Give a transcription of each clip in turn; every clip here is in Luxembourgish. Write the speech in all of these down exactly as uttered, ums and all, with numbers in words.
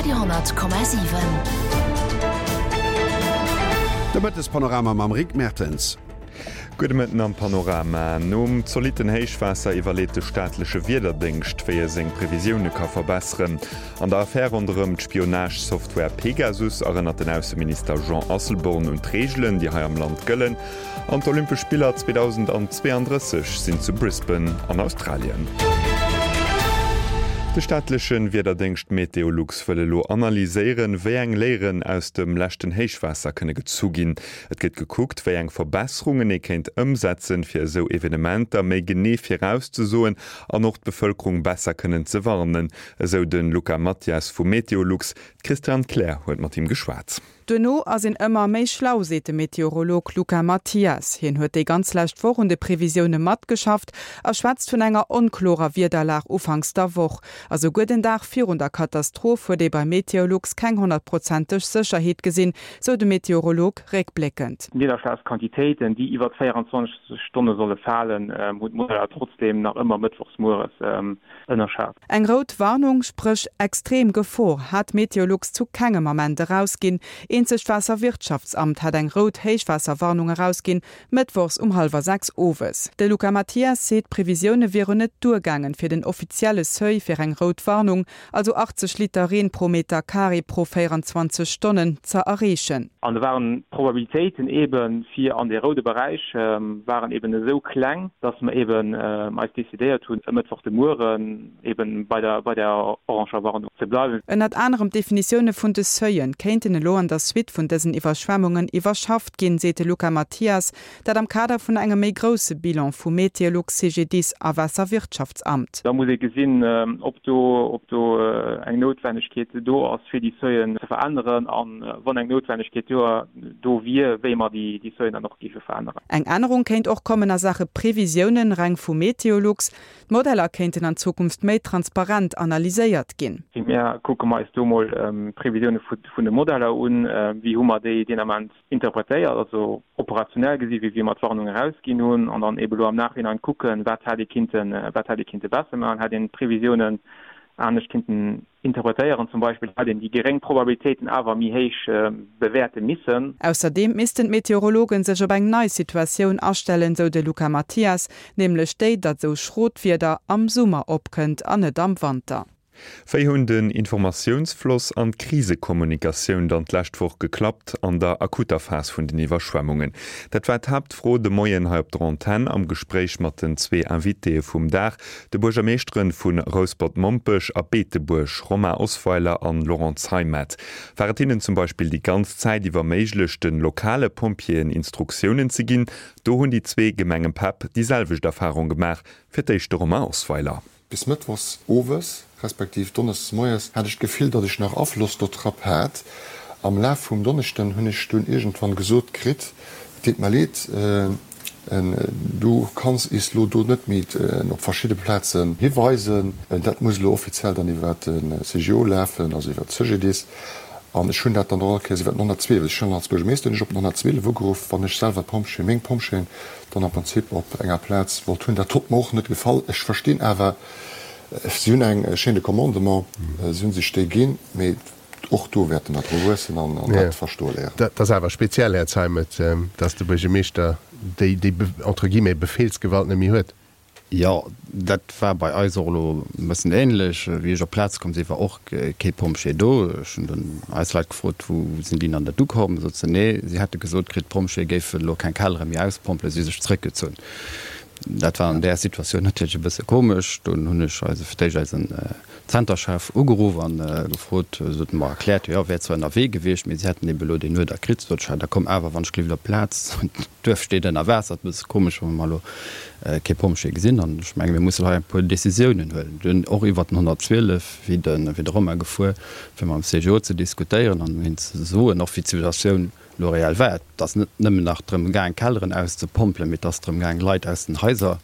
Radio honnert Komma siwen. De Mëttespanorama mam Rick Mertens. Gudde Mëtten am Panorama. Nom zolitten Héichwaasser iwwerleet de staatleche Wiederdéngscht, wéi e seng Previsioune ka verbesseren. An der Affär ronderëm d'Spionage-Software Pegasus erënnert den Ausseminister Jean Asselborn un d'Reegelen, déi hei am Land gëllen. An d'Olympesch Spiller zweedausendzweeandrësseg sinn zu Brisbane an Australien. De staatleche Wiederdéngscht Meteolux wëll elo analyséieren, wéi eng Léieren aus dem leschten Héichwaasser kënne gezu ginn. Et gëtt gekuckt, wéi eng Verbesserungen ee kéint ëmsetzen, fir esou Evenementer méi genee virauszesoen an och d'Bevëlkerung besser kënnen ze warnen, esou de Luca Mathias vu Meteolux. D'Christiane Kleer huet mat him geschwat. Duerno ass een ëmmer méi schlau, seet de Meteorolog Luca Mathias. Hien huet déi ganz lescht Woch un de Previsioune matgeschafft a schwätzt vun enger onklorer Wiederlag ufanks der Woch. A souguer den Dag virun der Katastroph huet ee bei Meteolux keng honnertprozenteg Sécherheet gesinn, sou de Meteorolog réckbléckend. D'Nidderschlagsquantitéiten, déi iwwert véierundzwanzeg Stonne solle falen, hunn d'Modeller trotzdeem nach ëmmer mëttwochs mueres ënnerschat. Eng rout Warnung, spréch extrem Gefor, hat Meteolux zu kengem Ament erausginn. Eenzeg d'Waasserwirtschaftsamt hat eng rout Héichwaasserwarnung erausginn, mëttwochs um hallwer sechs owes. De Luca Mathias seet, d'Previsioune wieren net duergaangen, fir den offizielle Seuil fir eng rout Warnung, also achtzeg Liter Reen pro Meter Carré pro véierundzwanzeg Stonnen, ze erreechen. An do waren d'Probabilitéiten eebe fir an dee roude Beräich waren eeben esou kleng, dass mer eeben eis decidéiert hunn, e Mëttwoch de Mueren eeben bei der bei der oranger Warnung ze bleiwen. Ënnert anerem d'Definitioune vun de Seuilen kéinten elo an der Suite vun dësen Iwwerschwemmungen iwwerschafft ginn, seet de Luca Mathias. Dat am Kader vun engem méi grousse Bilan vu Meteolux, C G D I S a Waasserwirtschaftsamt. Da muss ee gesinn, ob do ob do eng Noutwennegkeet do ass, fir déi Seuilen ze veränneren, a wann eng Noutwennegkeet do do wier, wéi mer déi déi Seuilen dann och géife veränneren. Eng Ännerung kéint och kommen a Saache Previsiounen, reng vu Meteolux. D'Modeller kéinten an Zukunft méi transparent analyséiert ginn. Primär kucke mer eis do mol d'Previsioune vun de Modeller un, wéi hu mer déi deen Ament interpretéiert, also operationell gesi wéi wéi mer d'Warnung erausginn hunn, an dann eebe lo am Nachhinein kucken, wat hätt ee kinnten, wat hätt ee kinnte besser maachen, hätt een d'Previsiounen anescht kinnten interpretéieren, zum Beispill hätt een déi geréng Probabilitéiten awer méi héich bewäerte missen. Ausserdeem missten d'Meteorologen sech op eng nei Situatioun astellen, sou de Luca Mathias, nämlech déi, datt sou schrot Wieder am Summer opkënnt an net am Wanter. Wéi hunn den Informatiounsfloss an d'Krisekommunikatioun dann d'lescht Woch geklappt an der akuter Phas vun den Iwwerschwemmungen? Dat war d'Haaptfro de Moien hei op der Antenn am Gespréich mat den zwee Invitéë vum Dag, de Buergermeeschteren vu Rouspert-Mompech a Beetebuerg, Romain Osweiler an Laurent Zeimet. War et hinnen zum Beispill déi ganz Zäit iwwer méiglech, de lokale Pompjeeën Instruktiounen ze ginn? Do hunn déi zwee Gemengepäpp déi selwecht Erfarung gemaach. Fir d'éischt de Romain Osweiler. Bis mëttwochs owes, respektiv donneschdes moies, hat ech d'Gefill, datt ech nach Afloss dodrop hat. Am Laf vum Donneschden hunn ech dunn iergendwann gesot kritt, Et deet mer leed, du kanns is lo do net méi op verschidde Plazen hiweisen. Dat muss elo offiziell dann iwwer de C G O lafen, also iwwer d'Cegedis. An ech hunn dat dann och all Kéiers iwwer den honnertzwielef, ech hunn als Buergermeeschter hunn ech op den honnertzwielef ugeruff, wann ech selwer d'Pompjeeën, meng Pompjeeën dann am Prinzip op enger Plaz wollt hunn. Dat hott mer och net gefall. Ech verstinn awer, si hunn eng Chaîne de commandement, si hu sech déi ginn, mee och do wäerte mer dru wuessen an dat verstoe léieren. Dat ass awer speziell, Här Zeimet, dass de Buergermeeschter déi, entre guillemets, Befehlsgewalt net méi huet. Jo, dat war bei eis och elo e bëssen ähnlech. Wéi ech op d'Plaz komm sinn, war och kee Pompjee do. Ech hunn dunn eis Leit gefrot, Wou sinn déi dann dat ukomm? Sot se, Nee, si hätte gesot kritt, d'Pompjeeë géifen elo keng Kellere méi auspompelen, si hu sech zréckgezunn. Dat war an där Situatioun natierlech e bësse komesch. Dunn hunn ech eise, fir d'éischt eisen Zenterchef ugeruff an gefrot, sot en mer erkläert, jo, wär zwar ënnerwee gewiescht, mee si hätten ebe elo deen Uerder kritt. Sot ech, da komm awer wann ech gelift op d'Plaz, d'Duerf steet ënner Waasser, et bësse komesch, wa mer elo kee Pompjee gesinn. An ech menge mir mussen hei e puer Decisiounen huelen. Dunn och iwwert den honnertzwielef wéi de wéi de Romain gefuer, fir mam C G O ze diskutéieren an hinnen ze soen, och wéi d'Situatioun elo reell war. Et ass net nëmmen nach drëm gaang, Kelleren auszepompelen, mee et ass drëm gaang, Leit aus den Haiser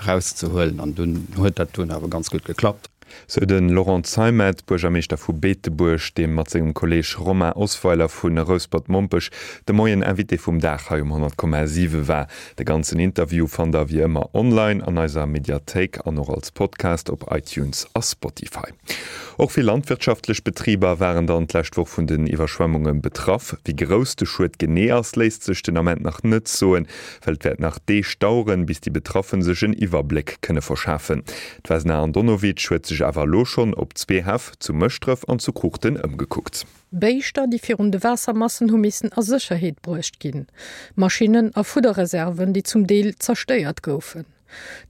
erauszehuelen. An dunn huet dat dunn awer ganz gutt geklappt. Sou de Laurent Zeimet, Buergermeeschter vu Beetebuerg, dee mat sengem Kolleeg Romain Osweiler vu Rouspert-Mompech de Moien Invité vum Dag hei um honnert Komma siwe war. De ganzen Interview fannt der wéi ëmmer online an eiser Mediathéik an och als Podcast op iTunes a Spotify. Och vill landwirtschaftlech Betriber waren dann d'lescht Woch vun den Iwwerschwemmunge betraff. Wéi grouss de Schued genee ass, léisst sech den Ament nach net soen, well et wäert nach Deeg daueren, bis déi Betraffen sech en Iwwerbléck kënne verschafen. D'Vesna Andonovic huet sech awer elo schonn op zwee Häff, zu Mëschdref an zu Kruuchten, ëmgekuckt. Béischter, déi virun de Waassermassen hu missen a Sécherheet bruecht ginn. Maschinnen a Fudderreserven, déi zum Deel zerstéiert goufen.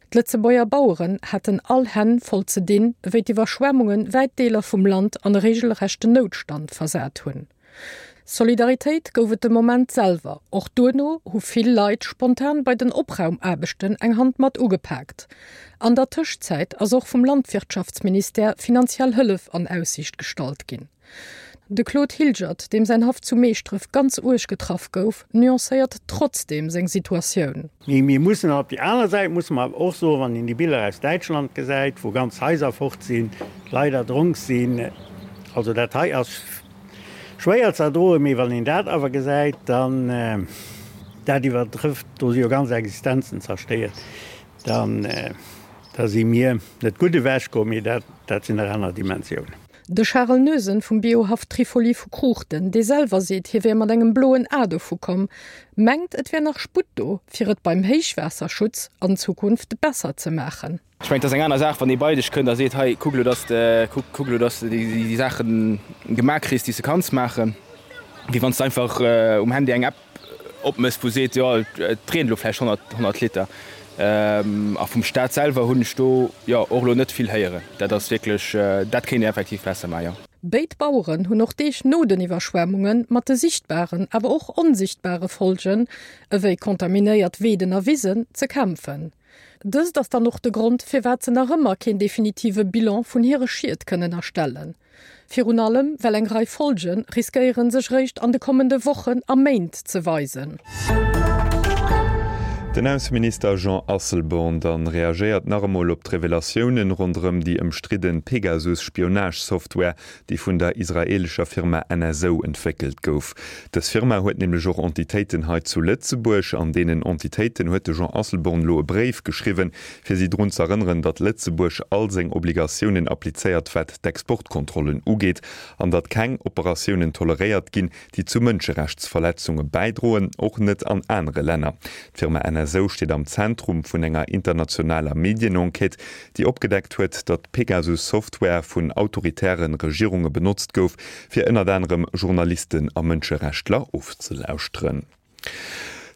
D'Lëtzebuerger Baueren haten all Hänn voll ze dinn, wéi d'Iwwerschwemmunge wäit Deeler vum Land an e reegelrechten Noutstand versat hunn. Solidaritéit gouf et de Moment selwer. Och duerno hu vill Leit spontan bei den Opraumaarbechten eng Hand mat ugepaakt. An der Tëschzäit ass och vum Landwirtschaftsministère finanziell Hëllef an Aussiicht gestallt ginn. De Claude Hilgert, deem säin Haff zu Meeschdref ganz uerg getraff gouf, nuancéiert trotzdeem seng Situatioun. Mee mir mussen op déi aner Säit musse mer awer och soen, wann een déi Biller aus Däitschland gesäit, wou ganz Haiser fort sinn, Leit erdronk sinn, also dat hei ass schwéier ze erdroen, mee wann een dat awer gesäit, dann, dat iwwertrëfft, do si jo ganz Existenzen zerstéiert, dann, da si mir net gutt ewechkomm, mee dat, dat sinn nach aner Dimensiounen. De Charel Noesen vum Biohaff Trifoli vu Kruuchten, dee selwer seet, hie wär mat engem bloen A dovu komm, mengt, et wär nach Sputt do, fir et beim Héichwaasserschutz an Zukunft besser ze maachen. Ech mengen, et ass eng aner Saach, wann ee bei dech kënnt a seet, hei, kuck elo, dass de, kuck elo, dass de déi Saache gemaach kriss, déi s de kanns maachen, wéi wann s de einfach um Handy eng App opméchs, wou seet, jo, et reent elo vläicht honnert, honnert Liter. A vum Staat selwer hunn ech do, jo, och elo net vill héieren. Dat ass wierklech, dat kéint een effektiv besser maachen, jo. Béid Baueren hunn och Deeg no den Iwwerschwemmunge mat de sichtbaren, awer och onsichtbare Folgen, ewéi kontaminéiert Weeden a Wisen, ze kämpfen. Dëst ass dann och de Grond, firwat se nach ëmmer keen definitive Bilan vun hire Schied kënnen erstellen. Virun allem, well eng Rei Folge riskéieren, sech réischt an de kommende Wochen a Méint ze weisen. Den Ausseminister Jean Asselborn dann reagéiert nach emol op d'Revelatiounen ronderëm déi ëmstridden Pegasus-Spionage-Software, déi vun der israeelescher Firma N S O entwéckelt gouf. Dës Firma huet nämlech och Entitéiten hei zu Lëtzebuerg. An deenen Entitéiten huet de Jean Asselborn elo e Bréif geschriwwen, fir si drun z'erënneren, datt Lëtzebuerg all seng Obligatiounen applizéiert wat d'Exportkontrollen ugeet an datt keng Operatiounen toleréiert ginn, déi zu Mënscherechtsverletzunge bäidroen, och net an anere Länner. D'Firma N S O steet am Zentrum vun enger internationaler Medienenquête, déi opgedeckt huet, datt Pegasus-Software vun autoritäre Regierunge benotzt gouf, fir ënnert anerem Journalisten a Mënscherechtler ofzelauschteren.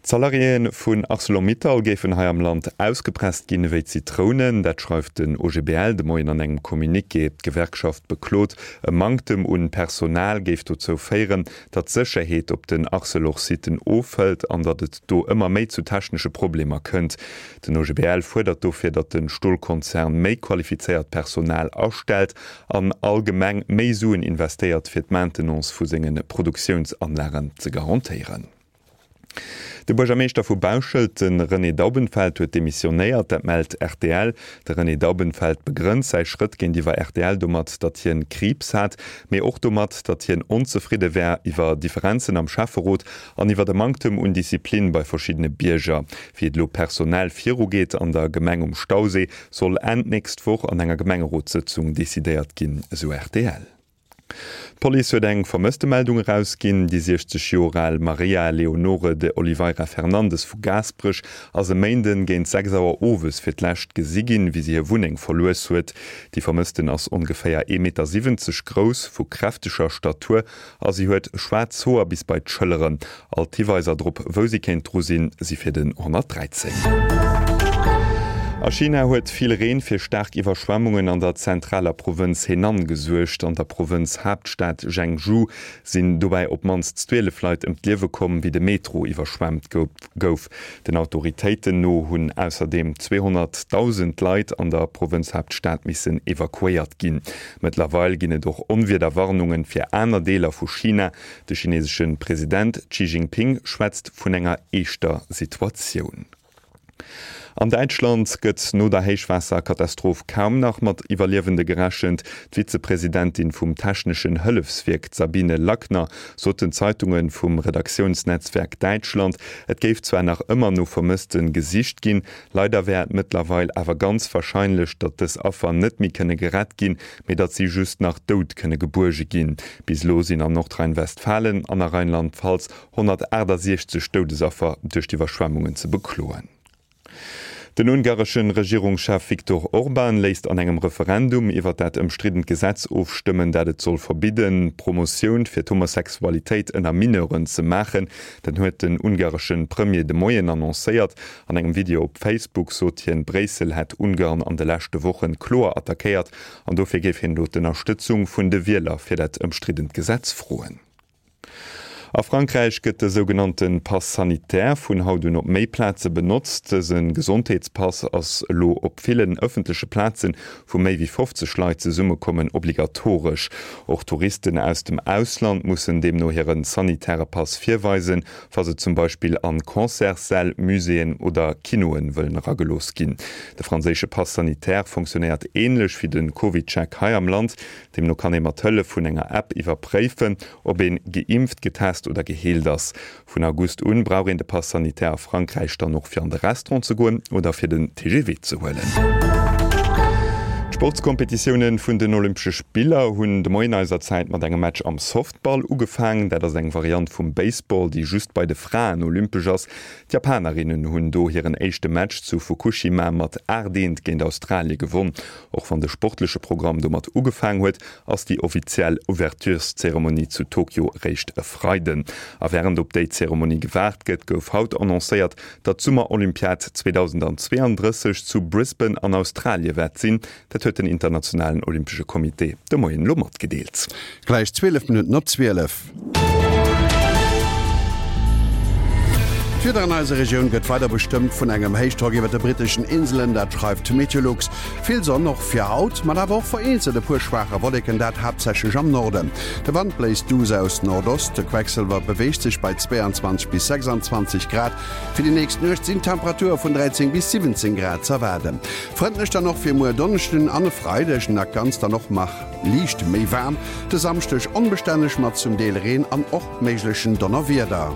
D'Salariéë vun Arcelor-Mittal géifen hei am Land ausgepresst ginn ewéi Zitrounen. Dat schreift den O G B L de Moien an engem Communiqué. D'Gewerkschaft beklot, e Manktem un Personal géif dozou féieren, datt d'Sécherheet op den Arcelor-Sitten ofhëlt an datt et do ëmmer méi zu technesche Problemer kënnt. Den O G B L fuerdert dofir, datt de Stolkonzern méi qualifizéiert Personal astellt an allgemeng méi Suen investéiert, fir d'Maintenance vu senge Produktiounsanlagen ze garantéieren. De Buergermeeschter vu Bauschelt, de René Daubenfeld, huet demissionéiert, dat mellt R T L. De René Daubenfeld begrënnt säi Schrëtt géintiwwer R T L domat, datt hien Kriibs hat, mee och domat, datt hien onzefridde wär iwwer Differenzen am Schäfferot an iwwer de Manktem un Disziplin bei verschiddene Bierger. Wéi et elo personell virugeet an der Gemeng um Stausee, soll Enn d'nächst Woch an enger Gemengerotssëtzung decidéiert ginn, esou R T L. D'Police huet eng Vermësstemeldung erausginn. Déi siechzeg Joer al Maria Leonore de Oliveira Fernandes vu Gaasperech ass e Méinden géint sechs Auer owes fir d'lescht gesi ginn, wéi si hir Wunneng verlues huet. Déi Vermëssten ass ongeféier ee Meter siwwenzeg grouss, vu kräfteger Statur a si huet schwaarz Hoer bis bei d'Schëlleren. All d'Hiweiser drop, wou si kéint dru sinn, si fir den honnertdräizéng. A China huet vill Reen fir staark Iwwerschwemmungen an der zentraler Provënz Henan gesuergt. An der Provënzhaaptstad Zhengzhou sinn dobäi op d'mannst zwielef Leit ëm d'Liewe komm, wéi de Metro iwwerschwemmt gouf. Den Autoritéiten no hunn ausserdeem zweehonnertdausend Leit an der Provënzhaaptstad missen evakuéiert ginn. Mëttlerweil ginn et och Onwiederwarnungen fir aner Deeler vu China. De chinesesche President Xi Jinping schwätzt vun enger eeschter Situatioun. An Däitschland gëtt no der Héichwaasserkatastroph kaum nach mat Iwwerliewende gerechent. D'Vizepresidentin vum Techneschen Hëllefswierk, d'Sabine Lackner, sot den Zeitunge vum Redaktiounsnetzwerk Däitschland, et géif zwar nach ëmmer no Vermësste gesicht ginn, leider wär et mëttlerweil awer ganz warscheinlech, datt dës Affer net méi kënne gerett ginn, mee datt si just nach dout kënne gebuerge ginn. Bis elo sinn an Nordrhein-Westfalen an a Rheinland-Pfalz honnertaachtasechzeg Doudesaffer duerch d'Iwwerschwemmungen ze bekloen. Den ungaresche Regierungschef Viktor Orban léisst an engem Referendum iwwer dat ëmstriddent Gesetz ofstëmmen, dat et soll verbidden, Promotioun fir d'Homosexualitéit ënner Mineuren ze maachen. Dat huet den ungaresche Premier de Moien annoncéiert. An engem Video op Facebook sot hien, Bréissel hätt Ungarn an de leschte Wochen kloer attackéiert an dofir géif hien elo d'Ënnerstëtzung vun de Wieler fir dat ëmstriddent Gesetz froen. A Frankräich gëtt de sougenannte Pass sanitaire vun haut un op méi Plaze benotzt. Dëse Gesondheetspass ass elo op villen ëffentleche Plazen, wou méi wéi fofzeg Leit zesummekommen, obligatoresch. Och Touristen aus dem Ausland mussen deemno hire sanitäre Pass virweisen, wa se zum Beispill an Concertssäll, Muséeën oder Kinoe wëllen eragelooss ginn. De franséische Pass sanitaire fonctionéiert änlech wéi de CovidCheck hei am Land. Deemno kann ee mat Hëllef vun enger App iwwerpréifen, ob een geimpft, getest oder geheelt ass. Vun August un brauch een de Pass sanitaire a Frankräich dann och fir an de Restaurant ze goen oder fir den T G V ze huelen. D'Sportskompetitioune vun den Olympesche Spiller hunn de Moien eiser Zäit mat engem Match am Softball ugefaangen. Dat ass eng Variant vum Baseball, déi just bei de Fraen olympesch ass. D'Japanerinnen hunn do hiren éischte Match zu Fukushima mat aacht eent géint Australie gewonn. Och wann de sportleche Programm domat ugefaang huet, ass déi offiziell Ouvertureszeremonie zu Tokio réischt e Freiden. A wärend op déi Zeremonie gewaart gëtt, gouf haut annoncéiert, datt d'Summerolympiad zweedausendazweeandrësseg zu Brisbane an Australie wäert sinn. Dat huet den Internationalen Olympesche Comité de Moien elo matgedeelt. Gläich zwielef Minutten op zwielef. D'Wieder an eiser Regioun gëtt weider bestëmmt vun engem Héichdrock iwwer de britteschen Inselen, dat schreift Meteolux. Vill Sonn och fir haut, mat awer och vereenzelt e puer schwaache Wolleken, dat haaptsächlech am Norden. De Wand bléist duuss aus Nordost, de Quecksëlwer beweegt sech bei zwéianzwanzeg bis sechsanzwanzeg Grad. Fir déi nächst Nuecht sinn Temperature vun dräizéng bis siwwenzéng Grad z'erwaarden. Frëndlech dann och fir muer Donneschden an e Freideg, dat Ganzt dann och nach liicht méi waarm. De Samschdeg onbestänneg mat zum Deel Reen an och méiglechen Donnerwieder.